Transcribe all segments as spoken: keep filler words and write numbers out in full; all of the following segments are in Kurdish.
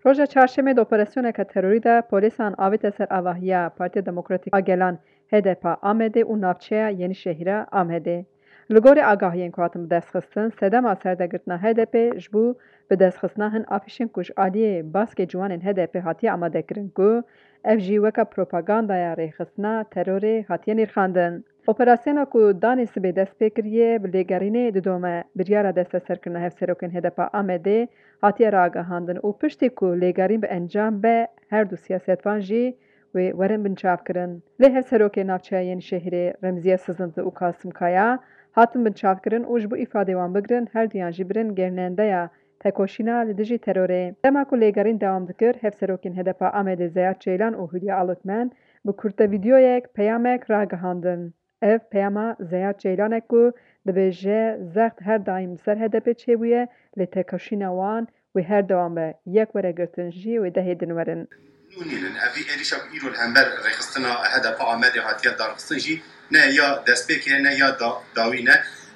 Roja çarşemê di operasyoneke terorî de polîsan avête ser avahiya Partiya Demokratîk a Gelan, H D P a Amedê û navçeya Yenîşehîra Amedê. Li gorî agahiyên ku hatin bidestxistin, sedema serdegirtina H D P ji bo bidestxistina hin afîşên ku ji aliyê baskê ciwanên H D P hatiye amadekirin ku ev jî weke propagandaya rêxistina terorê hatiye nirxandin. Operasyona ku danê sibê dest pê kiriye, bi lêgerînê didome. Biryara desteserkirina hevserokên H D P a Amedê hatiye ragihandin û piştî ku lêgerîn bi encam be, her du siyasetvan jî wê werin binçavkirin. Lê hevserokê navçeya Yenîşehîrê Remziye Sizinti û Kasim Kaya hatin binçavkirin û ji bo îfadê wan bigirin, her duyan jî birin gernendeya tekoşîna li dijî terorê. Dema ku lêgerîn dewam dikir, hevserokên H D P a Amedê Zeyad Ceylan û Hülya Alokmen bi kurte vîdyoyek peyamek ragihandin. Ev peyama Zeyad Ceylan e ku dibêje zext her daîm li ser H D P çêbûye, lê tekoşîna wan wê her dewam be, yek were girtin jî wê dehê din werin. Nû nînin. Ev vî êrîşa ku îro li hember rêxistina H D P Amedê hatiye darxistin jî ne ya destpêkê ye, ne ya da-, dawî ne.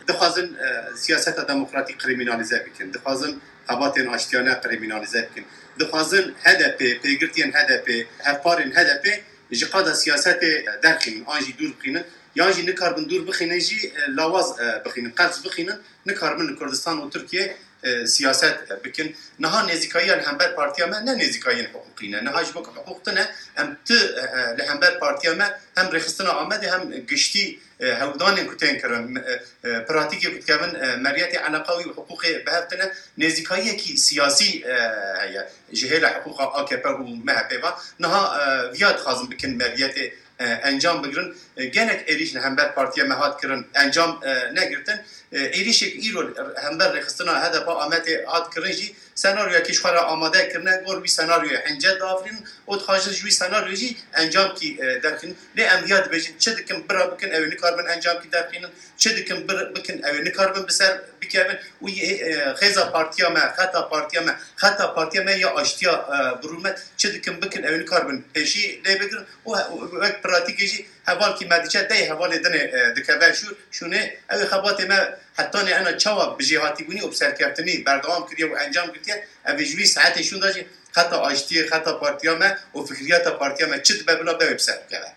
Dixwazin, e, siyaseta demokratîk krîmînalîze bikin. Dixwazin xebatên aştiyane krîmînalîze bikin. Dixwazin H D P, pêgirtiyên H D P, hevparên H D P ji qada siyasetê derxînin an jî dûr bixînin. Yan jî nikarbin dûr bixînin jî, e, lawaz, e, bixînin, qels bixînin. Nikaribin li Kurdistan û Tirkiye, e, siyaset, e, bikin. Niha nêzîkayiya li hember partiya me ne nêzîkayiyên hiqûqî ne. Niha ji bo ku hiqûq tune, em ti, e, e, li hember partiya me hem rêxistina Amedê hem giştî, e, hewldanên ku tên kirin, e, e, pratîkê ku dikevin, e, meriyetê eleqa wî û hiqûqê bi hev tune, nêzîkayiyekî siyasî, e, heye ji hêla hiqûqa A K P û M H P ve. Niha, e, viya dixwazin bikin meriyetê e, encam bigirin. E, gelek êrîş li hember partiya me hat kirin, encam, e, negirtin. E, êrîşek îro hember rêxistina H D P Amedê hat kirin jî senaryoyekî ji xwe re amade kirine, gor wî senaryoyê hince diafirînin û dixwazin ji wî senaryoyê jî encamkî, e, derxînin. Lê em viya dibêjin, çi dikin bira bikin, ew ê nikaribin encamkî derxînin, çi dikin bir, bikin, ew ê nikaribin bi ser bikevin û yê, e, xêza partiya me, xeta partiya me, xeta partiya me ya aştiya, e, bi rûmet, çi dikin bikin, ew ê nikaribin pêşî lê bigirin. û he-, û wek pratîkê jî hevalkî me diçe, tey hevalê dinê, e, dikeve şûr, şûnê. Ew ê xebatê me hetanê ena çawa bi jêhatîbûnî û bi serkeftinî berdewam kiriye û encam girtiye, ev ê ji wî saetê şûn de jî xeta aştiyê, xeta partiya me û fikriyata partiya me çi dibe bila be wê bi ser bikeve.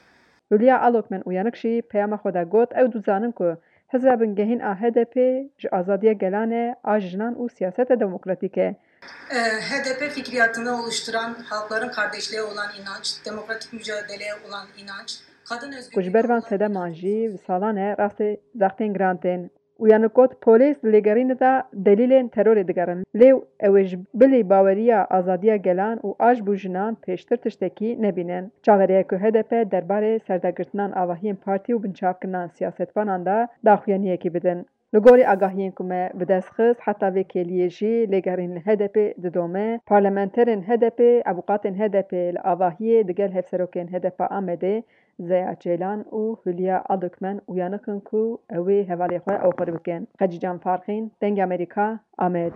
Hülya Alokmen Uyanık jî peyama xwe de got, ew dizanin ku hizra bingehîn a H D P ji azadiya gelan e, a jinan û siyaseta demokratîk e. E, H D P fikriyatını oluşturan halkların kardeşliğe olan inanç, demokratik mücadeleye olan inanç, kadın özgürlüğü olan inanç. Ku ji ber van sedeman jî bi salan e rastê zextên giran tên. Uyanık got, polîs di lêgerînê de delîlên terorê digerin. Lê ew ê ji bilî baweriya azadiya gelan û a ji bo jinan pêştir tiştekî nebînin. Çaverê ye ku H D P derbarê serdegirtinan avahiyên partî û binçavkirina siyasetvanan de daxuyaniyekî bidin. Li gorî agahiyên ku me bi dest xist, heta vê kêliyê jî lêgerîn li H D P didome. Parlamenterên H D P, avûkatên H D P li avahiyê digel hevserokên H D P Amedê Zeya Ceylan û Hülya Alokmen uyanix in ku ew ê hevalê xwe oxir bikin. Xecîcan Farqîn, Dengê Amerîka, Amed.